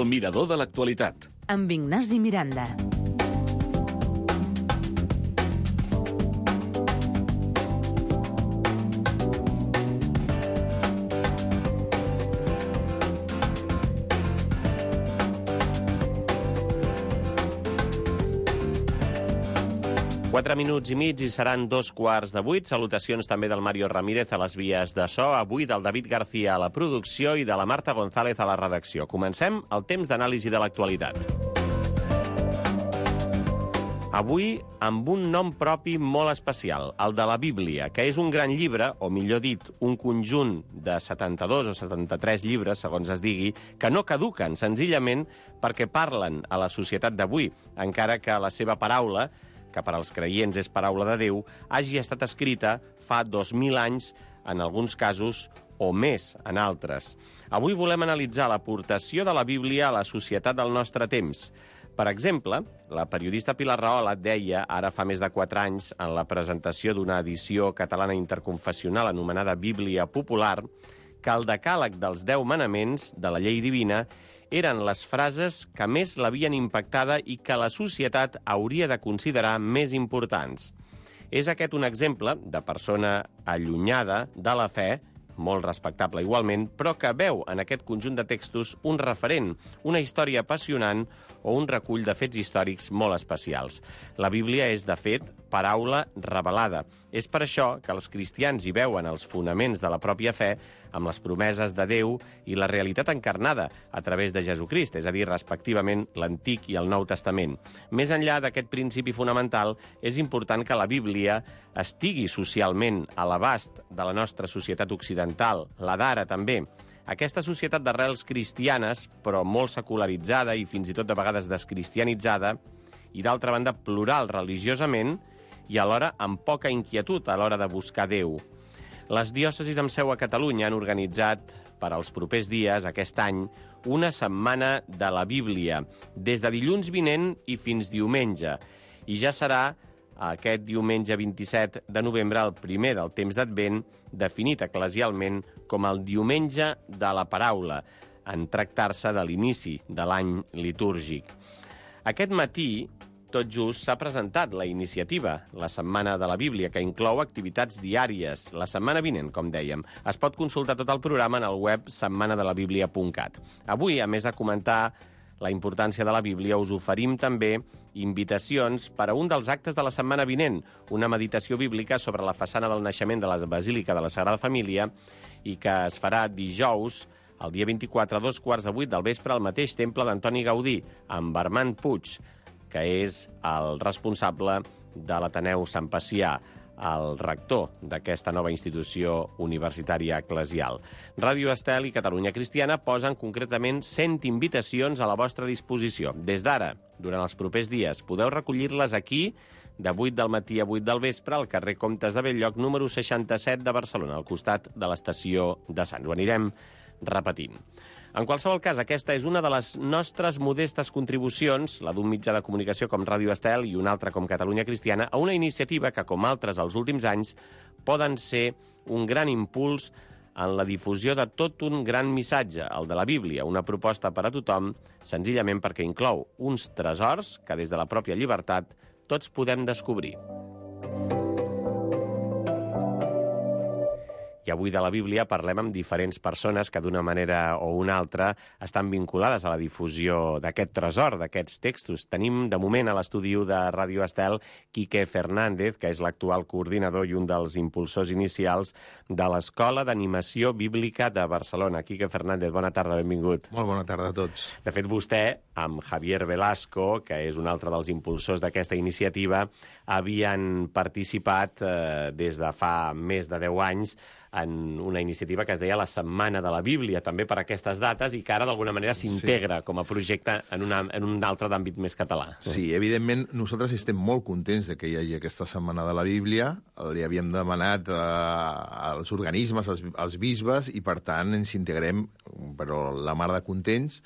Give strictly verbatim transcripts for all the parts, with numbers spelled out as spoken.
El mirador de l'actualitat. Amb Ignasi Miranda. Quatre minuts i mig i seran dos quarts de vuit. Salutacions també del Mario Ramírez a les vies de so, avui del David García a la producció i de la Marta González a la redacció. Comencem el temps d'anàlisi de l'actualitat. Avui amb un nom propi molt especial, el de la Bíblia, que és un gran llibre, o millor dit, un conjunt de setanta-dos o setanta-tres llibres, segons es digui, que no caduquen, senzillament perquè parlen a la societat d'avui, encara que la seva paraula, que per als creients és paraula de Déu, hagi estat escrita fa dos mil anys, en alguns casos, o més en altres. Avui volem analitzar l'aportació de la Bíblia a la societat del nostre temps. Per exemple, la periodista Pilar Rahola deia, ara fa més de quatre anys, en la presentació d'una edició catalana interconfessional anomenada Bíblia Popular, que el decàleg dels deu manaments de la llei divina eren les frases que més l'havien impactada i que la societat hauria de considerar més importants. És aquest un exemple de persona allunyada de la fe, molt respectable igualment, però que veu en aquest conjunt de textos un referent, una història apassionant o un recull de fets històrics molt especials. La Bíblia és, de fet, paraula revelada. És per això que els cristians hi veuen els fonaments de la pròpia fe amb les promeses de Déu i la realitat encarnada a través de Jesucrist, és a dir, respectivament, l'Antic i el Nou Testament. Més enllà d'aquest principi fonamental, és important que la Bíblia estigui socialment a l'abast de la nostra societat occidental, la d'ara també. Aquesta societat d'arrels cristianes, però molt secularitzada i fins i tot de vegades descristianitzada, i d'altra banda plural religiosament i alhora amb poca inquietud a l'hora de buscar Déu. Les diòcesis amb seu a Catalunya han organitzat per als propers dies, aquest any, una setmana de la Bíblia, des de dilluns vinent i fins diumenge. I ja serà aquest diumenge vint-i-set de novembre, el primer del temps d'Advent, definit eclesialment com el diumenge de la paraula, en tractar-se de l'inici de l'any litúrgic. Aquest matí, tot just, s'ha presentat la iniciativa, la Setmana de la Bíblia, que inclou activitats diàries. La setmana vinent, com dèiem. Es pot consultar tot el programa en el web setmana de la bíblia punt cat. Avui, a més de comentar la importància de la Bíblia, us oferim també invitacions per a un dels actes de la setmana vinent, una meditació bíblica sobre la façana del naixement de la Basílica de la Sagrada Família i que es farà dijous, el dia vint-i-quatre, a dos quarts de vuit del vespre, al mateix temple d'Antoni Gaudí, amb Armand Puig, que és el responsable de l'Ateneu Sant Pacià, el rector d'aquesta nova institució universitària eclesial. Ràdio Estel i Catalunya Cristiana posen concretament cent invitacions a la vostra disposició. Des d'ara, durant els propers dies, podeu recollir-les aquí, de vuit del matí a vuit del vespre, al carrer Comtes de Bell-lloc, número seixanta-set de Barcelona, al costat de l'estació de Sants. Ho anirem repetint. En qualsevol cas, aquesta és una de les nostres modestes contribucions, la d'un mitjà de comunicació com Ràdio Estel i una altra com Catalunya Cristiana, a una iniciativa que, com altres els últims anys, poden ser un gran impuls en la difusió de tot un gran missatge, el de la Bíblia, una proposta per a tothom, senzillament perquè inclou uns tresors que des de la pròpia llibertat tots podem descobrir. I avui de la Bíblia parlem amb diferents persones que d'una manera o una altra estan vinculades a la difusió d'aquest tresor, d'aquests textos. Tenim de moment a l'estudi de Ràdio Estel Quique Fernández, que és l'actual coordinador i un dels impulsors inicials de l'Escola d'Animació Bíblica de Barcelona. Quique Fernández, bona tarda, benvingut. Molt bona tarda a tots. De fet, vostè, amb Javier Velasco, que és un altre dels impulsors d'aquesta iniciativa, havien participat eh, des de fa més de deu anys en una iniciativa que es deia la Setmana de la Bíblia, també per aquestes dates, i que ara d'alguna manera s'integra sí. com a projecte en, una, en un altre d'àmbit més català. Sí, evidentment, nosaltres estem molt contents de que hi hagi aquesta Setmana de la Bíblia. Li havíem demanat eh, als organismes, als, als bisbes, i per tant ens integrem, però la mar de contents.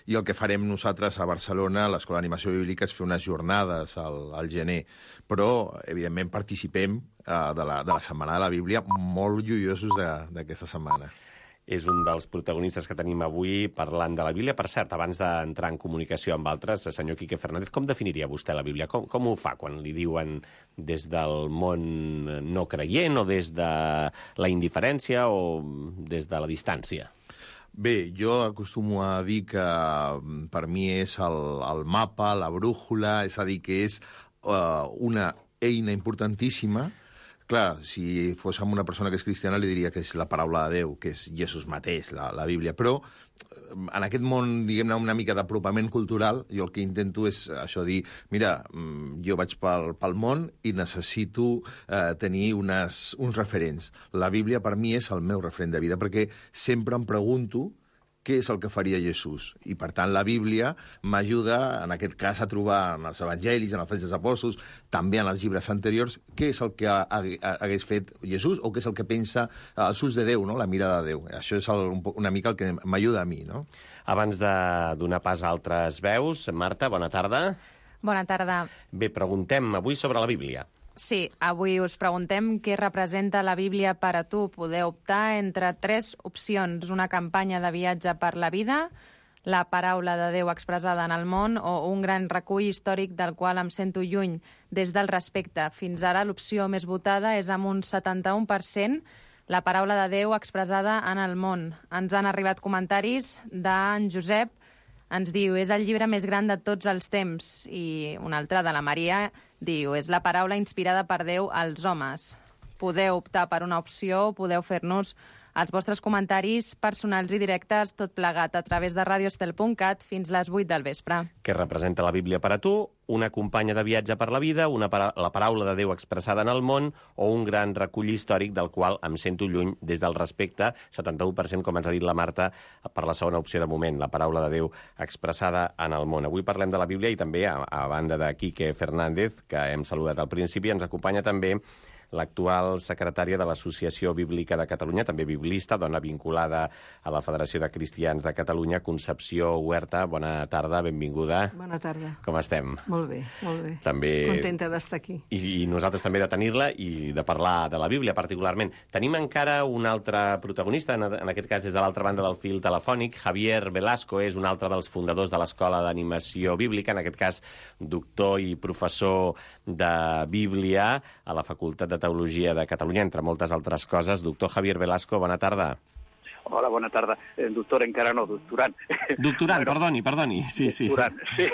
I el que farem nosaltres a Barcelona, a l'Escola d'Animació Bíblica, és fer unes jornades al, al gener. Però, evidentment, participem eh, de, la, de la Setmana de la Bíblia, molt lluiosos d'aquesta setmana. és un dels protagonistes que tenim avui parlant de la Bíblia. Per cert, abans d'entrar en comunicació amb altres, senyor Quique Fernández, com definiria vostè la Bíblia? Com, com ho fa quan li diuen des del món no creient o des de la indiferència o des de la distància? Bé, jo acostumo a dir que per mi és el, el mapa, la brújula, és a dir, que és uh, una eina importantíssima. Clar, si fos amb una persona que és cristiana li diria que és la paraula de Déu, que és Jesús mateix, la, la Bíblia. Però en aquest món, diguem-ne, una mica d'apropament cultural, jo el que intento és això, dir, mira, jo vaig pel, pel món i necessito eh, tenir unes, uns referents. La Bíblia per mi és el meu referent de vida, perquè sempre em pregunto què és el que faria Jesús. I, per tant, la Bíblia m'ajuda, en aquest cas, a trobar en els evangelis, en els fets dels apòstols, també en els llibres anteriors, què és el que hagués fet Jesús o què és el que pensa els ulls de Déu, no? La mirada de Déu. Això és el, una mica el que m'ajuda a mi, no? Abans de donar pas a altres veus, Marta, bona tarda. Bona tarda. Bé, preguntem avui sobre la Bíblia. Sí, avui us preguntem què representa la Bíblia per a tu. Podeu optar entre tres opcions. Una campanya de viatge per la vida, la paraula de Déu expressada en el món o un gran recull històric del qual em sento lluny des del respecte. Fins ara l'opció més votada és amb un setanta-un per cent la paraula de Déu expressada en el món. Ens han arribat comentaris d'en Josep. Ens diu, és el llibre més gran de tots els temps. I un altre de la Maria diu, és la paraula inspirada per Déu als homes. Podeu optar per una opció, podeu fer-nos els vostres comentaris personals i directes, tot plegat a través de radiostel punt cat fins les vuit del vespre. Què representa la Bíblia per a tu? Una companya de viatge per la vida, una para la paraula de Déu expressada en el món o un gran recull històric del qual em sento lluny des del respecte, setanta-u per cent, com ens ha dit la Marta, per la segona opció de moment, la paraula de Déu expressada en el món. Avui parlem de la Bíblia i també, a, a banda de Quique Fernández, que hem saludat al principi, ens acompanya també l'actual secretària de l'Associació Bíblica de Catalunya, també biblista, dona vinculada a la Federació de Cristians de Catalunya, Concepció Huerta. Bona tarda, benvinguda. Bona tarda. Com estem? Molt bé, molt bé. També... Contenta d'estar aquí. I, I nosaltres també de tenir-la i de parlar de la Bíblia, particularment. Tenim encara un altre protagonista, en, en aquest cas des de l'altra banda del fil telefònic. Javier Velasco és un altre dels fundadors de l'Escola d'Animació Bíblica, en aquest cas doctor i professor de Bíblia a la Facultat de Teologia de Catalunya, entre moltes altres coses. Doctor Javier Velasco, bona tarda. Hola, bona tarda. Eh, doctor encara no, doctorant. Doctorant, bueno, perdoni, perdoni. Sí, sí. Doctorant, sí.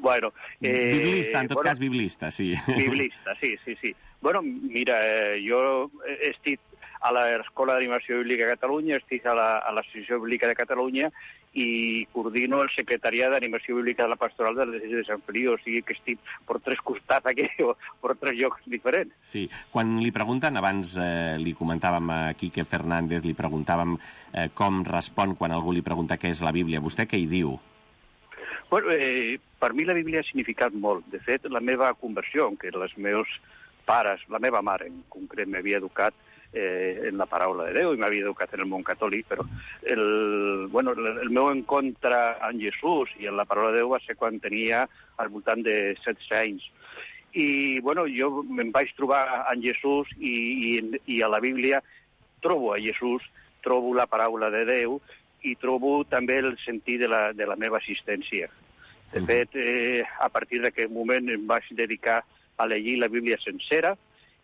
bueno, eh, biblista, en tot bueno, cas, biblista, sí. Biblista, sí, sí, sí. Bueno, mira, eh, jo estic a l'Escola d'Animació Bíblica de Catalunya, estic a l'Associació Bíblica de Catalunya i coordino el secretariat d'Animació Bíblica de la Pastoral de l'Església de Sant Feliu, o sigui que estic per tres costats aquí, o per tres llocs diferents. Sí, quan li pregunten, abans eh, li comentàvem a Quique Fernández, li preguntàvem eh, com respon quan algú li pregunta què és la Bíblia. Vostè què hi diu? Bueno, eh, per mi la Bíblia ha significat molt. De fet, la meva conversió, que els meus pares, la meva mare en concret, m'havia educat Eh, en la paraula de Déu i m'havia educat en el món catòlic, però el, bueno, el, el meu encontre amb Jesús i en la paraula de Déu va ser quan tenia al voltant de setze anys. I bueno, jo em vaig trobar amb Jesús i, i, i a la Bíblia trobo a Jesús, trobo la paraula de Déu i trobo també el sentit de la, de la meva existència. De fet, eh, a partir d'aquest moment em vaig dedicar a llegir la Bíblia sencera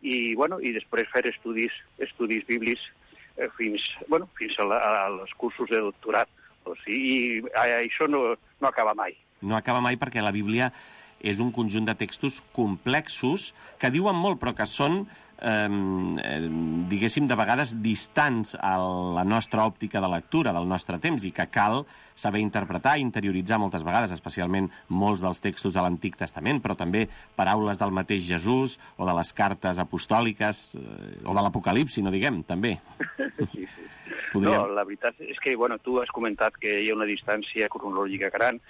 i, bueno, i després fer estudis, estudis bíblics eh, fins, bueno, fins a la, als cursos de doctorat. O sigui, i això no, no acaba mai. No acaba mai perquè la Bíblia és un conjunt de textos complexos que diuen molt, però que són, eh, diguéssim, de vegades distants a la nostra òptica de lectura del nostre temps i que cal saber interpretar i interioritzar moltes vegades, especialment molts dels textos de l'Antic Testament, però també paraules del mateix Jesús o de les cartes apostòliques eh, o de l'Apocalipsi, no diguem, també. Sí, sí. Podríem... No, la veritat és que, bueno, tu has comentat que hi ha una distància cronològica gran,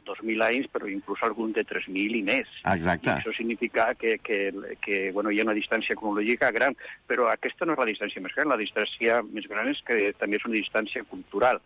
dos mil anys, però inclús algun de tres mil i més. Exacte. I això significa que, que, que bueno, hi ha una distància cronològica gran, però aquesta no és la distància més gran, la distància més gran és que també és una distància cultural.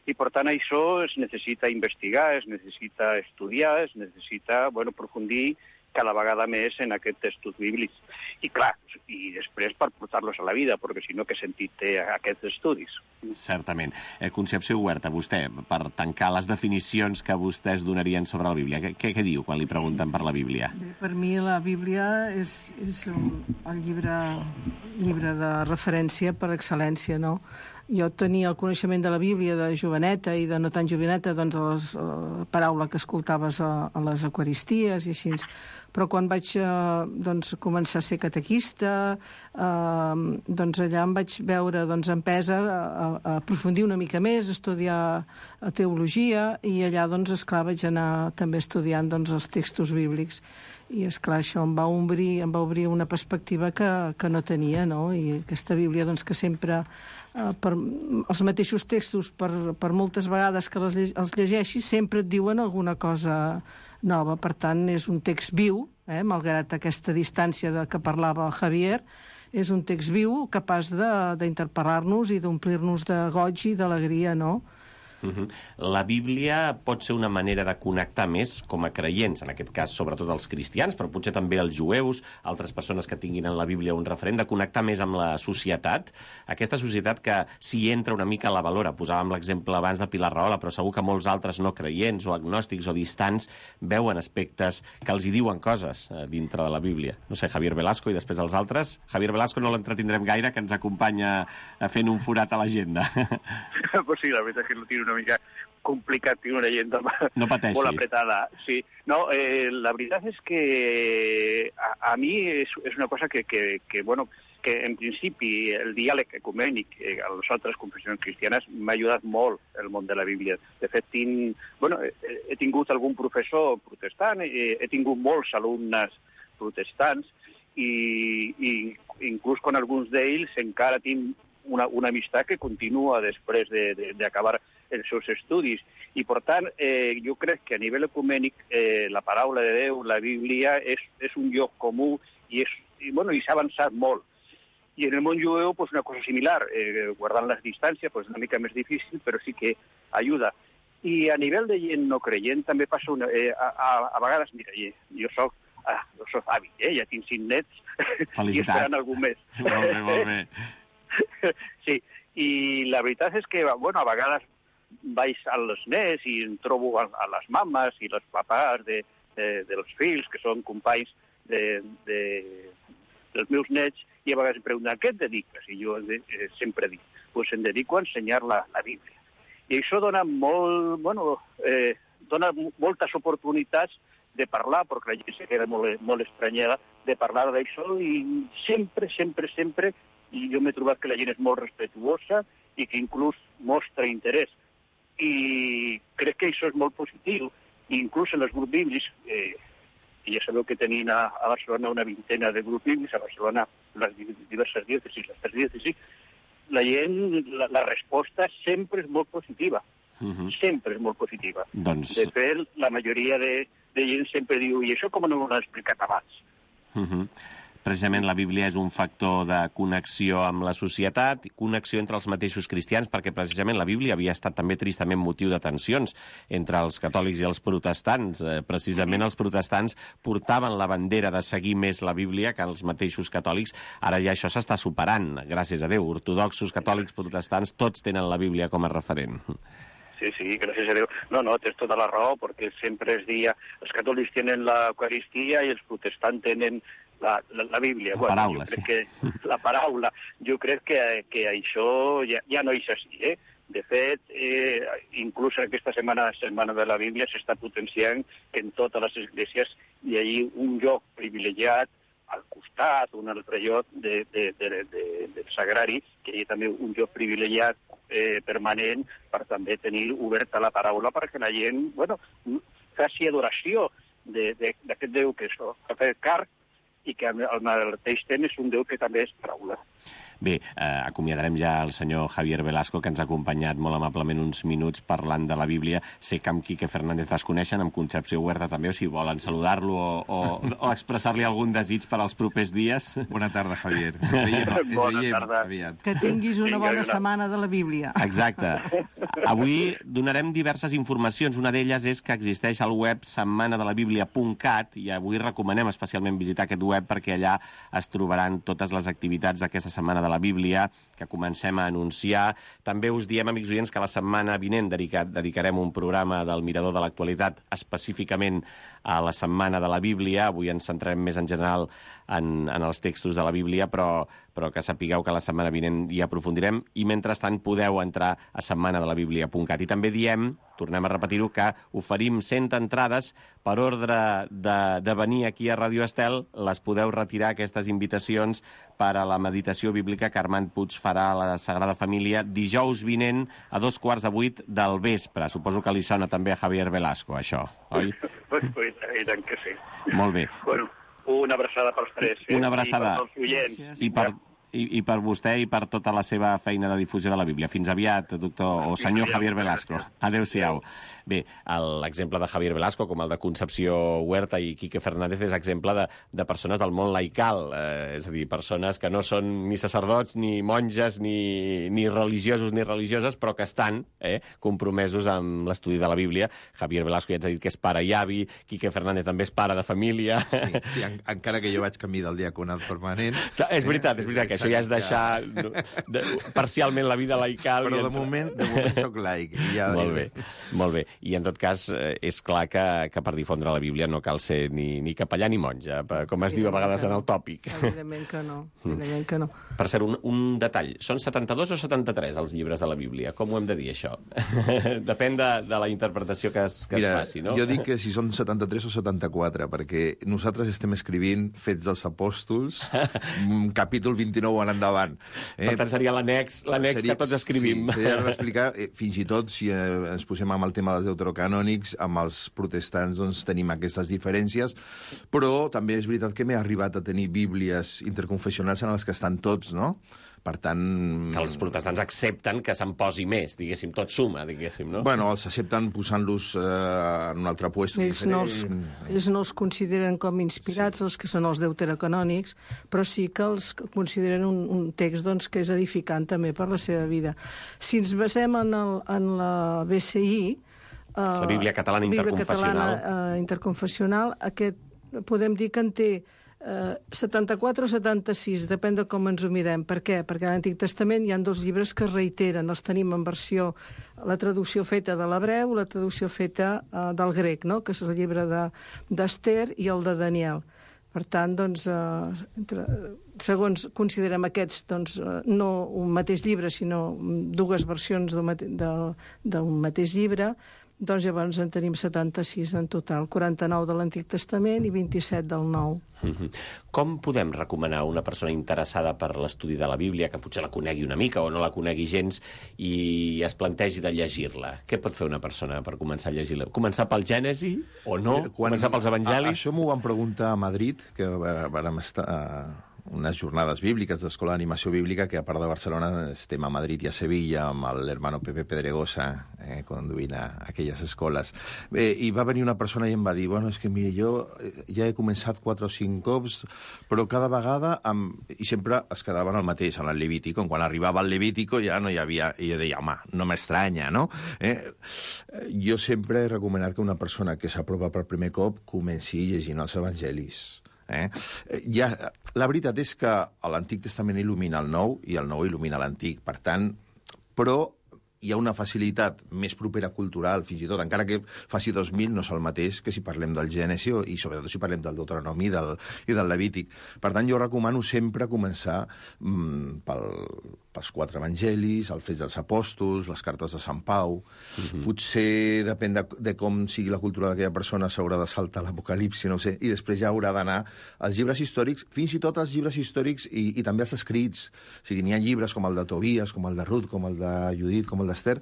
I, per tant, això es necessita investigar, es necessita estudiar, es necessita, bueno, aprofundir cada vegada més en aquests textos bíblics. I clar, i després per portar-los a la vida, perquè si no, què sentit té aquests estudis? Certament. Eh, Concepció Huerta, vostè, per tancar les definicions que vostès donarien sobre la Bíblia, què, què diu quan li pregunten per la Bíblia? Bé, per mi la Bíblia és, és el llibre, llibre de referència per excel·lència, no? Jo tenia el coneixement de la Bíblia de joveneta i de no tan joveneta, doncs a les, a la paraula que escoltaves a, a les eucaristies i així. Però quan vaig eh, doncs, començar a ser catequista, eh, doncs allà em vaig veure doncs, empesa a, a aprofundir una mica més, a estudiar teologia, i allà, doncs, esclar, vaig anar també estudiant doncs, els textos bíblics. I, esclar, això em va obrir, em va obrir una perspectiva que, que no tenia, no? I aquesta Bíblia, doncs, que sempre, eh, per, els mateixos textos, per, per moltes vegades que les, els llegeixis, sempre et diuen alguna cosa nova. Per tant, és un text viu, eh, malgrat aquesta distància de què parlava el Javier, és un text viu capaç d'interpel·lar-nos i d'omplir-nos de goig i d'alegria, no? Uh-huh. La Bíblia pot ser una manera de connectar més com a creients, en aquest cas sobretot els cristians, però potser també els jueus, altres persones que tinguin en la Bíblia un referent, de connectar més amb la societat, aquesta societat que s'hi entra una mica a la valora. Posàvem l'exemple abans de Pilar Rahola, però segur que molts altres no creients o agnòstics o distants veuen aspectes que els hi diuen coses eh, dintre de la Bíblia. No sé, Javier Velasco i després els altres. Javier Velasco no l'entretindrem gaire, que ens acompanya fent un forat a l'agenda. Pues sí, la veritat és que no tiro una mica complicat, tinc una agenda no molt apretada. Sí. No, eh, la veritat és que a, a mi és, és una cosa que, que, que, bueno, que en principi el diàleg ecumènic eh, a les altres confessions cristianes m'ha ajudat molt el món de la Bíblia. De fet, tinc, bueno, he, he tingut algun professor protestant, he, he tingut molts alumnes protestants i, i inclús con alguns d'ells encara tinc una, una amistat que continua després d'acabar de, de, els seus estudis. I, per tant, eh, jo crec que a nivell ecumènic eh, la paraula de Déu, la Bíblia, és, és un lloc comú i, és, i, bueno, i s'ha avançat molt. I en el món jueu, pues, una cosa similar, eh, guardant les distàncies, pues, una mica més difícil, però sí que ajuda. I a nivell de gent no creient també passa una... Eh, a, a, a vegades, mira, jo soc, ah, jo soc avi, eh, ja tinc cinc nets i esperant algun mes. Molt bé, molt bé. Sí, i la veritat és que, bueno, a vegades vaig als nets i em trobo a, a les mames i els papàs de, de, dels fills, que són companys de, de, dels meus nets, i a vegades em pregunten, a què et dediques? I jo eh, sempre dic, pues em dedico a ensenyar la, la Bíblia. I això dona, molt, bueno, eh, dona moltes oportunitats de parlar, perquè la gent se queda molt, molt estranyada, de parlar d'això, i sempre, sempre, sempre, i jo m'he trobat que la gent és molt respetuosa i que inclús mostra interès. I crec que això és molt positiu. I inclús en els grups bíblics, eh, ja sabeu que tenim a, a Barcelona una vintena de grups bíblics, a Barcelona les diverses diòcesis, les tres diòcesis, la gent, la, la resposta sempre és molt positiva. Uh-huh. Sempre és molt positiva. Doncs... De fet, la majoria de, de gent sempre diu, i això com no m'ho han explicat abans? Uh-huh. Precisament la Bíblia és un factor de connexió amb la societat, connexió entre els mateixos cristians, perquè precisament la Bíblia havia estat també tristament motiu de tensions entre els catòlics i els protestants. Eh, precisament els protestants portaven la bandera de seguir més la Bíblia que els mateixos catòlics. Ara ja això s'està superant, gràcies a Déu. Ortodoxos, catòlics, protestants, tots tenen la Bíblia com a referent. Sí, sí, gràcies a Déu. No, no, tens tota la raó, perquè sempre es dia els catòlics tenen l'Eucaristia i els protestants tenen la, la, la Bíblia. La bueno, paraula, jo crec sí. Que, la paraula. Jo crec que, que això ja, ja no és així, eh? De fet, eh, inclús en aquesta setmana, setmana de la Bíblia s'està potenciant que en totes les esglésies hi hagi un lloc privilegiat al costat, un altre lloc de, de, de, de, del sagrari, que hi ha també un lloc privilegiat eh, permanent per també tenir oberta la paraula perquè la gent, bueno, faci adoració d'aquest Déu que és el car i que al mateix temps és un Déu que també és paraula. Bé, eh, acomiadarem ja el senyor Javier Velasco, que ens ha acompanyat molt amablement uns minuts parlant de la Bíblia. Sé que amb Quique Fernández es coneixen, amb Concepció Huerta també, o si volen saludar-lo o, o, o expressar-li algun desig per als propers dies. Bona tarda, Javier. Ens veiem, ens Bona veiem tarda. aviat. Que tinguis una Vinga, bona una- setmana de la Bíblia. Exacte. Avui donarem diverses informacions. Una d'elles és que existeix el web setmana de la bíblia punt cat i avui recomanem especialment visitar aquest web perquè allà es trobaran totes les activitats d'aquesta setmana de la Bíblia que comencem a anunciar. També us diem, amics oients, que la setmana vinent dedicat, dedicarem un programa del Mirador de l'Actualitat específicament a la setmana de la Bíblia. Avui ens centrarem més en general en, en els textos de la Bíblia, però, però que sapigueu que la setmana vinent hi aprofundirem i mentrestant podeu entrar a setmana de la bíblia punt cat. I també diem, tornem a repetir-ho, que oferim cent entrades per ordre de, de venir aquí a Ràdio Estel. Les podeu retirar, aquestes invitacions, per a la meditació bíblica que Armand Puig farà a la Sagrada Família dijous vinent a dos quarts de vuit del vespre. Suposo que li sona també a Javier Velasco, això, oi? I tant que sí. Molt bé. Bueno, una abraçada pels tres. Eh? Una abraçada. I per tots els oients. Gràcies. I per, i, i per vostè i per tota la seva feina de difusió de la Bíblia. Fins aviat, doctor o senyor Javier Velasco. Adéu-siau. Bé, l'exemple de Javier Velasco, com el de Concepció Huerta i Quique Fernández, és exemple de, de persones del món laical, eh, és a dir, persones que no són ni sacerdots, ni monges, ni, ni religiosos ni religioses, però que estan eh, compromesos amb l'estudi de la Bíblia. Javier Velasco ja ens ha dit que és pare i avi, Quique Fernández també és pare de família. Sí, sí en, encara que jo vaig camí del diaconat permanent. Clar, és veritat, és veritat, que això ja és deixar no, de, parcialment la vida laical. Però i de entrar- moment, de moment soc laic. i Ja Molt bé, molt bé. I en tot cas, eh, és clar que, que per difondre la Bíblia no cal ser ni, ni capellà ni monja, per- com es diu a vegades en el tòpic. Evidentment que no, evidentment que no. Per cert, un, un detall. Són setanta-dos o setanta-tres els llibres de la Bíblia? Com ho hem de dir, això? Depèn de, de la interpretació que es, que Mira, es faci, no? jo dic que si són setanta-tres o setanta-quatre, perquè nosaltres estem escrivint Fets dels Apòstols, un capítol vint-i-nou en endavant. Per tant, seria l'annex l'annex que tots escrivim. Sí, s'ha d'explicar, eh, fins i tot, si eh, ens posem amb el tema dels deuterocanònics, amb els protestants doncs, tenim aquestes diferències, però també és veritat que m'he arribat a tenir bíblies interconfessionals en les que estan tots, no? Per tant... Que els protestants accepten que se'n posi més, diguéssim, tot suma, diguéssim, no? Bueno, els accepten posant-los eh, en un altre puesto Ells no, els, diferent. ells no els consideren com inspirats, els que són els deuterocanònics, però sí que els consideren un, un text doncs, que és edificant també per la seva vida. Si ens basem en, el, en la B C I... Eh, La Bíblia Catalana Bíblia Interconfessional. Catalana, eh, interconfessional, aquest, podem dir que en té eh, setanta-quatre o setanta-sis, depèn de com ens ho mirem. Per què? Perquè a l'Antic Testament hi ha dos llibres que es reiteren. Els tenim en versió, la traducció feta de l'hebreu, la traducció feta eh, del grec, no? Que és el llibre de- d'Ester i el de Daniel. Per tant, doncs, eh, entre, segons considerem aquests, doncs, eh, no un mateix llibre, sinó dues versions d'un mate, de, d'un mateix llibre, doncs llavors en tenim setanta-sis en total, quaranta-nou de l'Antic Testament i vint-i-set del Nou. Mhm. Com podem recomanar a una persona interessada per l'estudi de la Bíblia, que potser la conegui una mica o no la conegui gens, i es plantegi de llegir-la? Què pot fer una persona per començar a llegir-la? Començar pel Gènesi o no? Començar pels Evangelis? A, això m'ho van preguntar a Madrid, que vàrem estar a unes jornades bíbliques d'Escola d'Animació Bíblica, que a part de Barcelona estem a Madrid i a Sevilla amb l'hermano Pepe Pedregosa eh, conduint a aquelles escoles. Bé, i va venir una persona i em va dir, bueno, és que mire, jo ja he començat quatre o cinc cops, però cada vegada, amb... i sempre es quedaven el mateix, en el Levítico. Quan arribava al Levítico ja no hi havia... I jo deia, home, no m'estranya, no? Eh? Jo sempre he recomanat que una persona que s'aprova per primer cop comenci llegint els Evangelis. Eh? Ja, la veritat és que l'Antic Testament il·lumina el Nou i el Nou il·lumina l'Antic, per tant, però hi ha una facilitat més propera cultural, fins i tot, encara que faci dos mil, no és el mateix que si parlem del Gènesi i sobretot si parlem del Deuteronomi del, i del Levític. Per tant, jo recomano sempre començar mm, pel, pels quatre evangelis, el Fets dels Apòstols, les cartes de Sant Pau. Mm-hmm. Potser, depèn de, de com sigui la cultura d'aquella persona, s'haurà de saltar l'Apocalipsi, no ho sé, i després ja haurà d'anar als llibres històrics, fins i tot als llibres històrics i, i també als escrits. O sigui, n'hi ha llibres com el de Tobies, com el de Ruth, com el de Judit, com el d'Ester,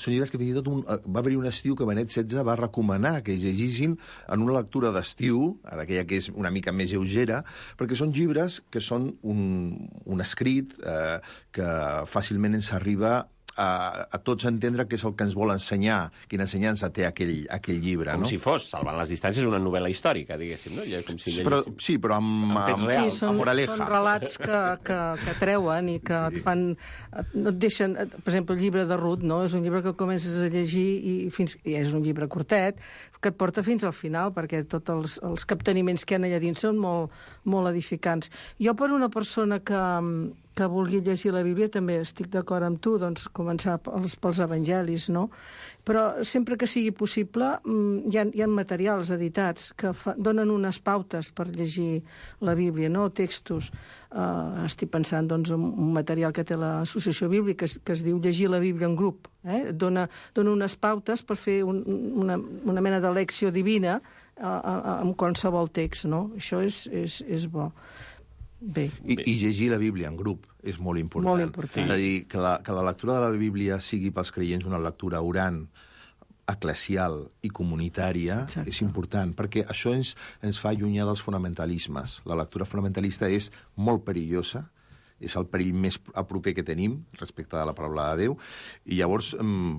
Són llibres que fins i tot un, va haver-hi un estiu que Benet setze va recomanar que llegissin en una lectura d'estiu, d'aquella que és una mica més lleugera, perquè són llibres que són un, un escrit eh, que fàcilment ens arriba a, a tots entendre què és el que ens vol ensenyar, quina ensenyança té aquell, aquell llibre. Com no? si fos, salvant les distàncies, una novel·la històrica, diguéssim, no? Com si però, sí, però amb, amb fets amb, reals. Sí, són, amb moraleja. són relats que, que, que treuen i que sí. et fan... Et, no et deixen... Per exemple, el llibre de Ruth, no? És un llibre que comences a llegir i, fins, i és un llibre curtet, que et porta fins al final, perquè tots els, els capteniments que hi ha allà dins són molt, molt edificants. Jo, per una persona que, que vulgui llegir la Bíblia, també estic d'acord amb tu, doncs començar pels, pels evangelis, no? Però sempre que sigui possible, hi ha, hi ha materials editats que fa, donen unes pautes per llegir la Bíblia, no? Textos. Uh, estic pensant, doncs, en un material que té l'Associació Bíblica, que es, que es diu Llegir la Bíblia en grup. Eh? Dona, dona unes pautes per fer un, una, una mena de lecció divina uh, uh, amb qualsevol text, no? Això és, és, és bo. Bé. I, I llegir la Bíblia en grup és molt important. Molt important. Sí. És a dir, que la, que la lectura de la Bíblia sigui pels creients una lectura orant, eclesial i comunitària. Exacte. És important, perquè això ens, ens fa allunyar dels fonamentalismes. La lectura fonamentalista és molt perillosa, és el perill més a proper que tenim respecte a la paraula de Déu, i llavors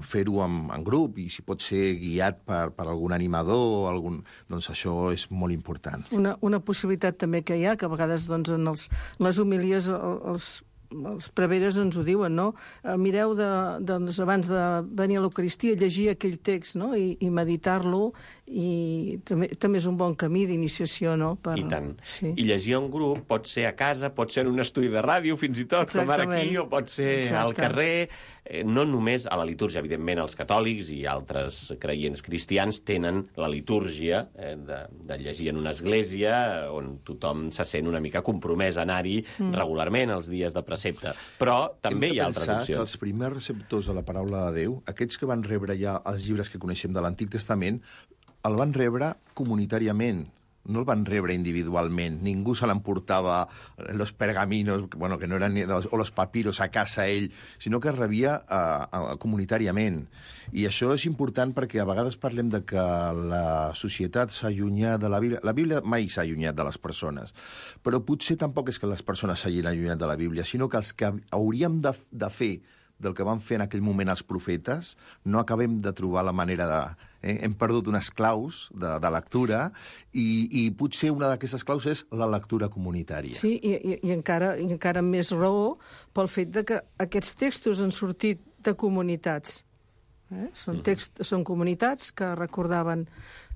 fer-ho en, en grup, i si pot ser guiat per, per algun animador, o algun, doncs això és molt important. Una, una possibilitat també que hi ha, que a vegades doncs, en, els, en les homilies els, els preveres ens ho diuen, no? Eh, mireu de, doncs, abans de venir a l'Eucaristia, llegir aquell text, no? I, i meditar-lo, i també, també és un bon camí d'iniciació, no? Per... I tant. Sí. I llegir en grup pot ser a casa, pot ser en un estudi de ràdio, fins i tot, exactament, com ara aquí, o pot ser Exacte. al carrer. Eh, no només a la litúrgia, evidentment, els catòlics i altres creients cristians tenen la litúrgia eh, de, de llegir en una església on tothom se sent una mica compromès a anar-hi mm. regularment els dies de precepte. Però també hi ha altres opcions. Que els primers receptors de la paraula de Déu, aquests que van rebre ja els llibres que coneixem de l'Antic Testament, el van rebre comunitàriament, no el van rebre individualment. Ningú se l'emportava los pergaminos, bueno, que no eren ni dels, o los papiros a casa ell, sinó que es rebia uh, uh, comunitàriament. I això és important perquè a vegades parlem de que la societat s'ha allunyat de la Bíblia. La Bíblia mai s'ha allunyat de les persones, però potser tampoc és que les persones s'hagin allunyat de la Bíblia, sinó que els que hauríem de, de fer del que van fer en aquell moment els profetes, no acabem de trobar la manera de... Eh? Hem perdut unes claus de, de lectura i, i potser una d'aquestes claus és la lectura comunitària. Sí, i, i, i, encara, i encara més raó pel fet de que aquests textos han sortit de comunitats. Eh? Són, text, són comunitats que recordaven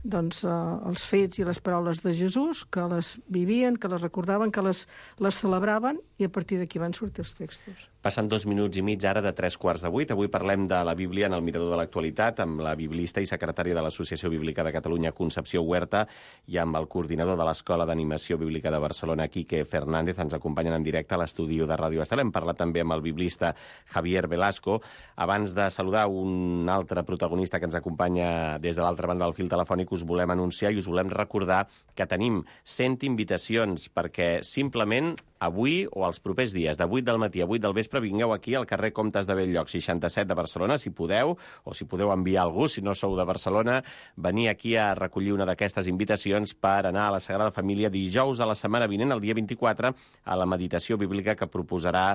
doncs, eh, els fets i les paraules de Jesús, que les vivien, que les recordaven, que les, les celebraven, i a partir d'aquí van sortir els textos. Passen dos minuts i mig ara de tres quarts de vuit. Avui parlem de la Bíblia en el Mirador de l'Actualitat amb la biblista i secretària de l'Associació Bíblica de Catalunya, Concepció Huerta, i amb el coordinador de l'Escola d'Animació Bíblica de Barcelona, Quique Fernández. Ens acompanyen en directe a l'estudi de Ràdio Estel. Hem parlat també amb el biblista Javier Velasco. Abans de saludar un altre protagonista que ens acompanya des de l'altra banda del fil telefònic, us volem anunciar i us volem recordar que tenim cent invitacions perquè simplement avui o els propers dies, de vuit del matí a vuit del vespre, vingueu aquí al carrer Comtes de Bell-lloc, seixanta-set de Barcelona, si podeu, o si podeu enviar algú, si no sou de Barcelona, venir aquí a recollir una d'aquestes invitacions per anar a la Sagrada Família dijous de la setmana vinent, el dia vint-i-quatre, a la meditació bíblica que proposarà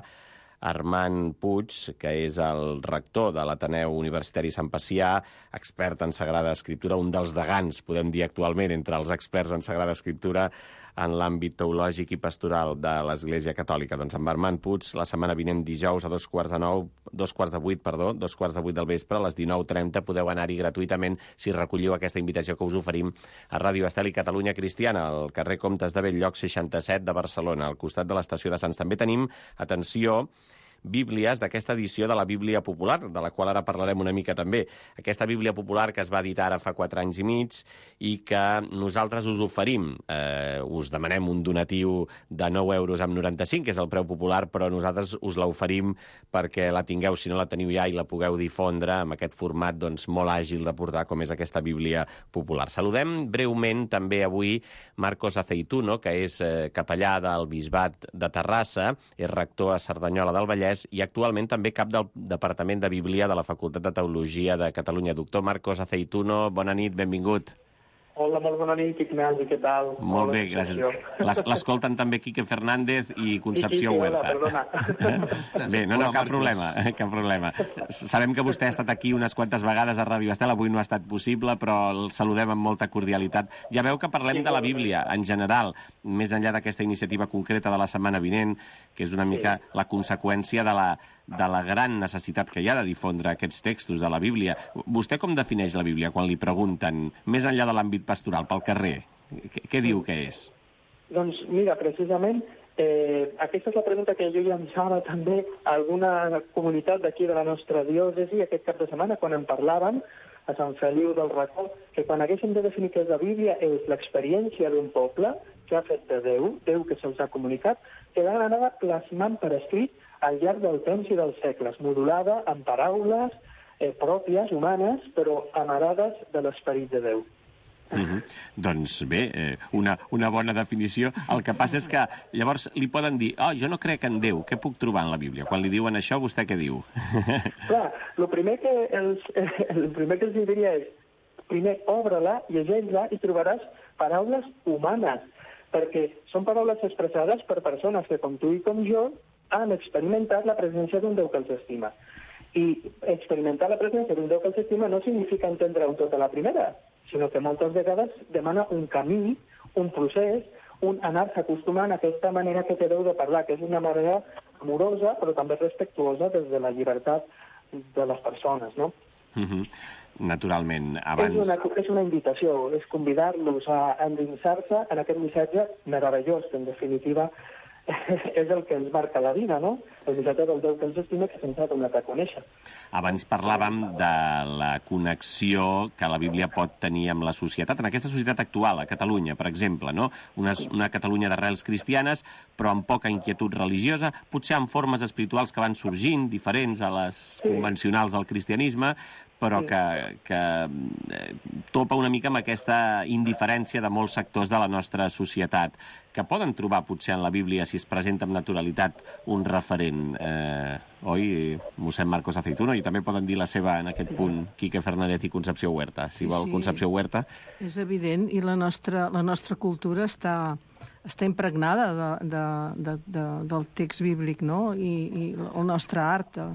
Armand Puig, que és el rector de l'Ateneu Universitari Sant Pacià, expert en Sagrada Escriptura, un dels degans, podem dir actualment, entre els experts en Sagrada Escriptura en l'àmbit teològic i pastoral de l'Església Catòlica. Doncs amb Armand Puig, la setmana vinent dijous a dos quarts de nou, dos quarts de vuit, perdó, dos quarts de vuit del vespre, a les dinou trenta, podeu anar-hi gratuïtament si recolliu aquesta invitació que us oferim a Ràdio Estel i Catalunya Cristiana, al carrer Comtes de Bell-lloc, seixanta-set de Barcelona, al costat de l'estació de Sants. També tenim, atenció, bíblies d'aquesta edició de la Bíblia Popular, de la qual ara parlarem una mica també. Aquesta Bíblia Popular que es va editar ara fa quatre anys i mig i que nosaltres us oferim. Eh, us demanem un donatiu de nou euros amb noranta-cinc, que és el preu popular, però nosaltres us l'oferim perquè la tingueu, si no la teniu ja, i la pugueu difondre amb aquest format doncs, molt àgil de portar, com és aquesta Bíblia Popular. Saludem breument també avui Marcos Aceituno, que és eh, capellà del Bisbat de Terrassa, és rector a Cerdanyola del Vallès, tres i actualment també cap del Departament de Bíblia de la Facultat de Teologia de Catalunya. Doctor Marcos Aceituno, bona nit, benvingut. Hola, molt bona nit, Ignasi, què tal? Molt bé, gràcies. L'escolten també Quique Fernández i Concepció Huerta. Hola, perdona. Bé, no, no, cap problema, cap problema. Sabem que vostè ha estat aquí unes quantes vegades a Ràdio Estel, avui no ha estat possible, però el saludem amb molta cordialitat. Ja veu que parlem de la Bíblia en general, més enllà d'aquesta iniciativa concreta de la setmana vinent, que és una mica la conseqüència de la, de la gran necessitat que hi ha de difondre aquests textos de la Bíblia. Vostè com defineix la Bíblia quan li pregunten, més enllà de l'àmbit pastoral, pel carrer? Què, què diu que és? Doncs mira, precisament, eh, aquesta és la pregunta que jo llançava també a alguna comunitat d'aquí de la nostra diòcesi aquest cap de setmana, quan en parlaven a Sant Feliu del Racó, que quan haguéssim de definir què és la Bíblia és l'experiència d'un poble que ha fet de Déu, Déu que se'ls ha comunicat, que l'han anat plasmant per escrit al llarg del temps i dels segles, modulada amb paraules eh, pròpies, humanes, però amarades de l'esperit de Déu. Uh -huh. Doncs bé, eh, una, una bona definició. El que passa és que llavors li poden dir oh, jo no crec en Déu, què puc trobar en la Bíblia? Quan li diuen això, vostè què diu? Clar, el primer que els, el primer que els diria és primer obre-la, llegeix-la i trobaràs paraules humanes, perquè són paraules expressades per persones que, com tu i com jo, han experimentat la presència d'un Déu que els estima. I experimentar la presència d'un Déu que els estima no significa entendre-ho tot a la primera, sinó que moltes vegades demana un camí, un procés, un anar-se acostumant a aquesta manera que té Déu de parlar, que és una manera amorosa, però també respectuosa des de la llibertat de les persones, no? Uh -huh. Naturalment, abans... És una, és una invitació, és convidar-los a endinsar-se en aquest missatge meravellós, que en definitiva és el que ens marca la vida, no? El missatge del Déu que ens estima que se'ns ha donat a conèixer. Abans parlàvem de la connexió que la Bíblia pot tenir amb la societat, en aquesta societat actual, a Catalunya, per exemple, no? Una, una Catalunya d'arrels cristianes, però amb poca inquietud religiosa, potser amb formes espirituals que van sorgint, diferents a les convencionals del cristianisme, però que, que topa una mica amb aquesta indiferència de molts sectors de la nostra societat, que poden trobar potser en la Bíblia, si es presenta amb naturalitat, un referent. Eh, oi, mossèn Marcos Aceituno, i també poden dir la seva en aquest punt Quique Fernández i Concepció Huerta. Si vol, sí, Concepció Huerta. És evident, i la nostra, la nostra cultura està... està impregnada de, de, de, de, del text bíblic, no? I, i el nostre art, eh,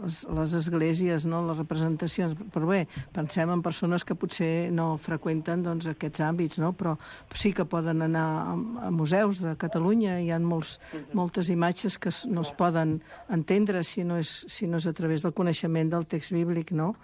les, les esglésies, no? Les representacions. Però bé, pensem en persones que potser no freqüenten doncs, aquests àmbits, no? Però sí que poden anar a, a museus de Catalunya, hi ha molts, moltes imatges que no es poden entendre si no és, si no és a través del coneixement del text bíblic, no?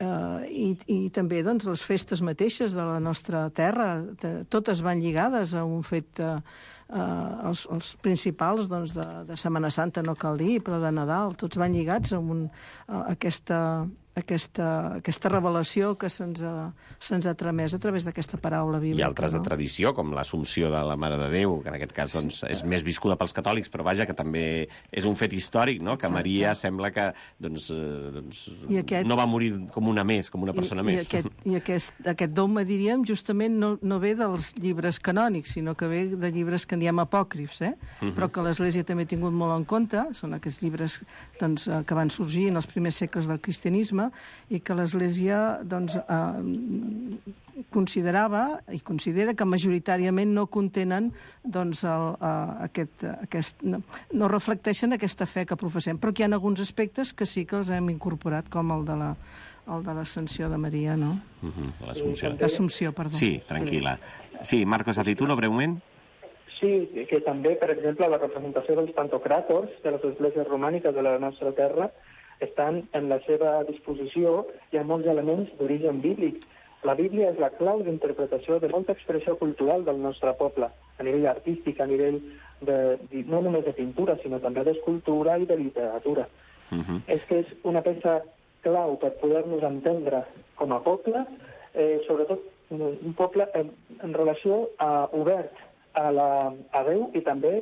Uh, i, i també doncs, les festes mateixes de la nostra terra, de, totes van lligades a un fet, uh, uh, els, els principals doncs, de, de Setmana Santa no cal dir, però de Nadal, tots van lligats a, un, a aquesta, aquesta, aquesta revelació que se'ns ha, se'ns ha tramès a través d'aquesta paraula bíblica. I altres, no? De tradició, com l'Assumpció de la Mare de Déu, que en aquest cas doncs, és més viscuda pels catòlics, però vaja, que també és un fet històric, no? Que Exacte. Maria sembla que doncs, eh, doncs, aquest... no va morir com una més, com una persona I, més. I, aquest, i aquest, aquest dogma, diríem, justament no, no ve dels llibres canònics, sinó que ve de llibres que en diem apòcrifs, eh? Uh-huh. Però que l'Església també ha tingut molt en compte, són aquests llibres doncs, que van sorgir en els primers segles del cristianisme, i que l'Església doncs, eh, considerava i considera que majoritàriament no contenen doncs, el, eh, aquest, aquest, no, no reflecteixen aquesta fe que professem, però que hi ha alguns aspectes que sí que els hem incorporat, com el de la el de l'Ascensió de Maria, no? Uh-huh, l'Assumpció. L'Assumpció, perdó. Sí, tranquil·la. Sí, Marcos Aceituno, breument. Sí, que també, per exemple, la representació dels pantocràtors de les esglésies romàniques de la nostra terra estan en la seva disposició, hi ha molts elements d'origen bíblic. La Bíblia és la clau d'interpretació de molta expressió cultural del nostre poble, a nivell artístic, a nivell de, no només de pintura, sinó també d'escultura i de literatura. Uh-huh. És que és una peça clau per poder-nos entendre com a poble, eh, sobretot un poble en, en relació a obert a, la, a Déu i també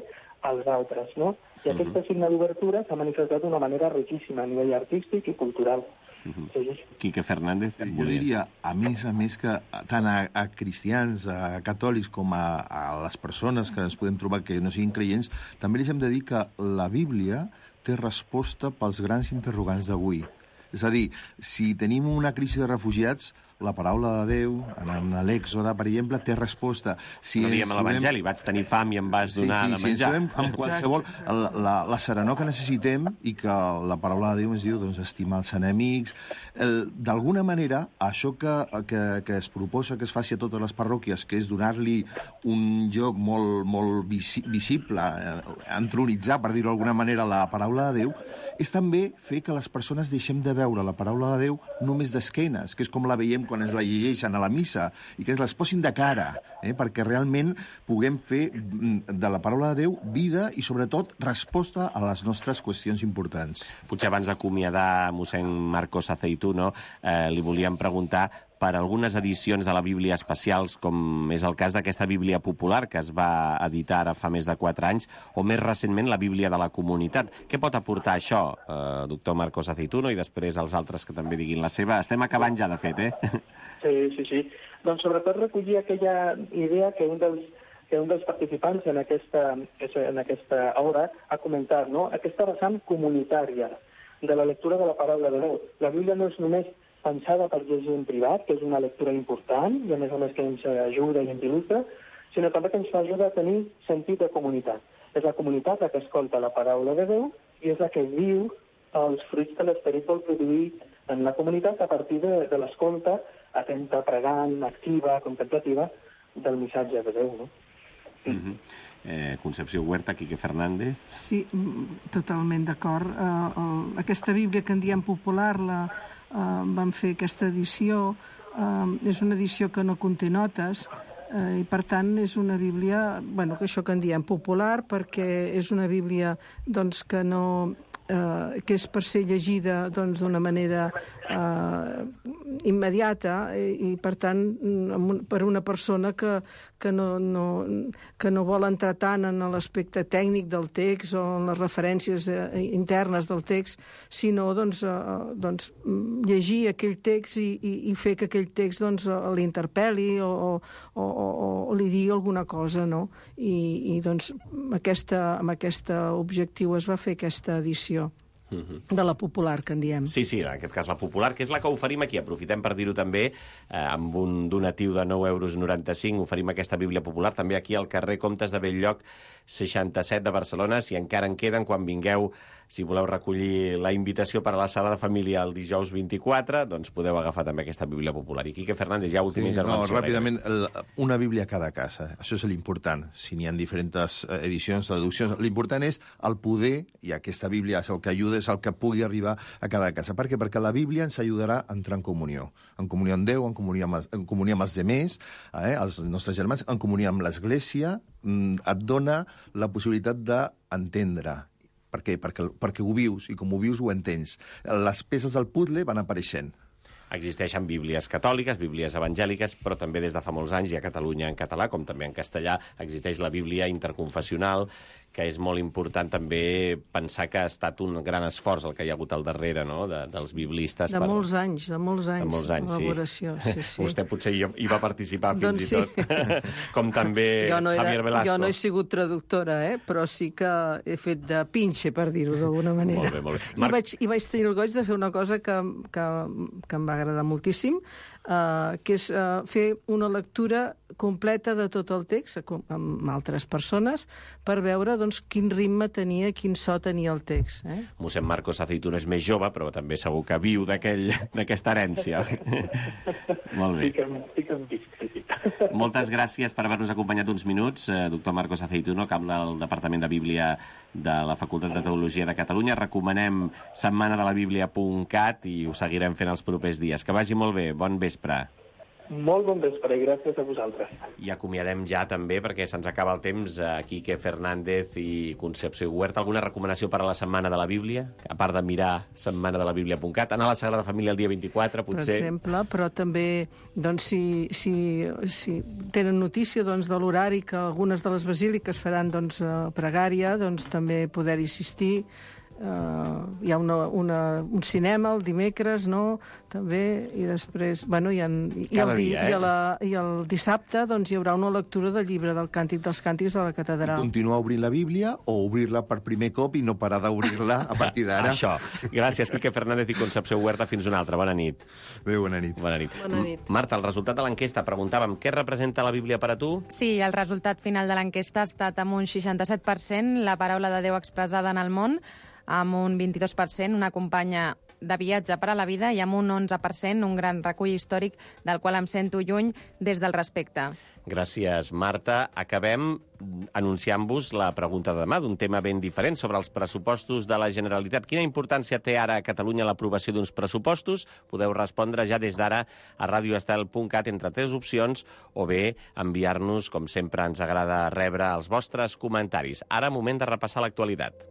als altres, no? I aquesta signe d'obertura s'ha manifestat d'una manera riquíssima a nivell artístic i cultural. Uh-huh. Sí, sí. Quique Fernández. Jo diria, a més a més, que tant a, a cristians, a catòlics, com a, a les persones que ens podem trobar que no siguin creients, també els hem de dir que la Bíblia té resposta pels grans interrogants d'avui. És a dir, si tenim una crisi de refugiats, la paraula de Déu, en l'Èxode, per exemple, té resposta. Si no diem a l'Evangeli, vaig tenir fam i em vas donar sí, sí, de menjar. Sí, si ens trobem amb qualsevol... La, la, la serenor que necessitem i que la paraula de Déu ens diu, doncs, estimar els enemics. D'alguna manera, això que, que, que es proposa que es faci a totes les parròquies, que és donar-li un lloc molt, molt visi, visible, eh, entronitzar, per dir-ho d'alguna manera, la paraula de Déu, és també fer que les persones deixem de veure la paraula de Déu només d'esquenes, que és com la veiem quan es la llegeixen a la missa, i que es les posin de cara, eh, perquè realment puguem fer de la paraula de Déu vida i, sobretot, resposta a les nostres qüestions importants. Potser abans d'acomiadar mossèn Marcos Aceituno, eh, li volíem preguntar per algunes edicions de la Bíblia especials, com és el cas d'aquesta Bíblia popular, que es va editar ara fa més de quatre anys, o més recentment la Bíblia de la Comunitat. Què pot aportar això, eh, doctor Marcos Aceituno, i després els altres que també diguin la seva? Estem acabant ja, de fet, eh? Sí, sí, sí. Doncs sobretot recollir aquella idea que un dels que un dels participants en aquesta, en aquesta hora ha comentat, no? Aquesta vessant comunitària de la lectura de la paraula de Déu. La Bíblia no és només pensada per llegir en privat, que és una lectura important, i a més a més que ens ajuda i ens il·lustra, sinó també que ens ajuda a tenir sentit de comunitat. És la comunitat la que escolta la paraula de Déu i és la que viu els fruits que l'Esperit vol produir en la comunitat a partir de, de l'escolta atenta, pregant, activa, contemplativa del missatge de Déu, no? Mm-hmm. eh, Concepció Huerta, Quique Fernández. Sí, totalment d'acord. Uh, uh, aquesta Bíblia que en diem popular, la, uh, vam fer aquesta edició, uh, és una edició que no conté notes, uh, i per tant és una Bíblia, bueno, que això que en diem popular, perquè és una Bíblia doncs, que no... Eh, que és per ser llegida doncs, d'una manera eh, immediata i, i per tant per una persona que, que, no, no, que no vol entrar tant en l'aspecte tècnic del text o en les referències eh, internes del text, sinó doncs, eh, doncs, llegir aquell text i, i, i fer que aquell text doncs, l'interpel·li o, o, o, o li digui alguna cosa, no? I, i doncs aquesta, amb aquest objectiu es va fer aquesta edició. Uh-huh. De la popular, que en diem. Sí, sí, en aquest cas la popular, que és la que oferim aquí. Aprofitem per dir-ho també, eh, amb un donatiu de nou euros noranta-cinc, oferim aquesta Bíblia popular també aquí al carrer Comtes de Bell-lloc seixanta-set de Barcelona. Si encara en queden, quan vingueu, si voleu recollir la invitació per a la sala de família el dijous vint-i-quatre, doncs podeu agafar també aquesta Bíblia popular. I Quique Fernández, ja última sí, intervenció. No, ràpidament, el, una Bíblia a cada casa. Això és l'important. Si n'hi ha diferents edicions, traduccions, l'important és el poder, i aquesta Bíblia és el que ajuda, és el que pugui arribar a cada casa. Per què? Perquè la Bíblia ens ajudarà a entrar en comunió. En comunió amb Déu, en comunió amb, en comunió amb els demés, eh, els nostres germans, en comunió amb l'Església, et dona la possibilitat d'entendre. Per què? Perquè, perquè ho vius, i com ho vius ho entens. Les peces del puzzle van apareixent. Existeixen bíblies catòliques, bíblies evangèliques, però també des de fa molts anys i a Catalunya en català, com també en castellà, existeix la Bíblia interconfessional, que és molt important també pensar que ha estat un gran esforç el que hi ha hagut al darrere, no?, de, dels biblistes. De per... molts anys, de molts anys. De molts anys, elaboració, sí. sí, sí. Vostè potser hi, hi va participar fins doncs i tot, sí. Com també no era, Javier Velasco. Jo no he sigut traductora, eh? Però sí que he fet de pinxe, per dir-ho d'alguna manera. Molt bé, molt bé. I, Marc... vaig, I vaig tenir el goig de fer una cosa que, que, que em va agradar moltíssim, Uh, que és uh, fer una lectura completa de tot el text amb altres persones per veure doncs, quin ritme tenia, quin so tenia el text. Eh? Mossèn Marcos Aceituno és més jove, però també segur que viu d'aquesta herència. Molt bé. Moltes gràcies per haver-nos acompanyat uns minuts, eh, doctor Marcos Aceituno, cap del Departament de Bíblia de la Facultat de Teologia de Catalunya. Recomanem setmana de la bíblia punt cat i ho seguirem fent els propers dies. Que vagi molt bé. Bon vespre. Molt bon vespre i gràcies a vosaltres. I acomiadem ja també, perquè se'ns acaba el temps, a Quique Fernández i Concepció Huerta. Alguna recomanació per a la Setmana de la Bíblia? A part de mirar setmana de la bíblia punt cat, anar a la Sagrada Família el dia vint-i-quatre, potser? Per exemple, però també, doncs, si, si, si tenen notícia doncs, de l'horari que algunes de les basíliques faran doncs, pregària, doncs també poder-hi assistir. Uh, hi ha una, una, un cinema el dimecres, no?, també, i després, bueno, i, en, i, Cada el, dia, eh? i, a la, i el dissabte doncs, hi haurà una lectura del llibre del Càntic dels Càntics de la catedral. Continuar obrint la Bíblia o obrir-la per primer cop i no parar d'obrir-la a partir d'ara. Això. Gràcies, Quique Fernández i Concepció Huerta. Fins una altra. Bona nit. Adéu, bona nit. Bona nit. Bona nit. Marta, el resultat de l'enquesta, preguntàvem què representa la Bíblia per a tu? Sí, el resultat final de l'enquesta ha estat amb un seixanta-set per cent la paraula de Déu expressada en el món, amb un vint-i-dos per cent una companya de viatge per a la vida i amb un onze per cent un gran recull històric del qual em sento lluny des del respecte. Gràcies, Marta. Acabem anunciant-vos la pregunta de demà d'un tema ben diferent sobre els pressupostos de la Generalitat. Quina importància té ara a Catalunya l'aprovació d'uns pressupostos? Podeu respondre ja des d'ara a radioestel punt cat entre tres opcions o bé enviar-nos, com sempre ens agrada rebre, els vostres comentaris. Ara, moment de repassar l'actualitat.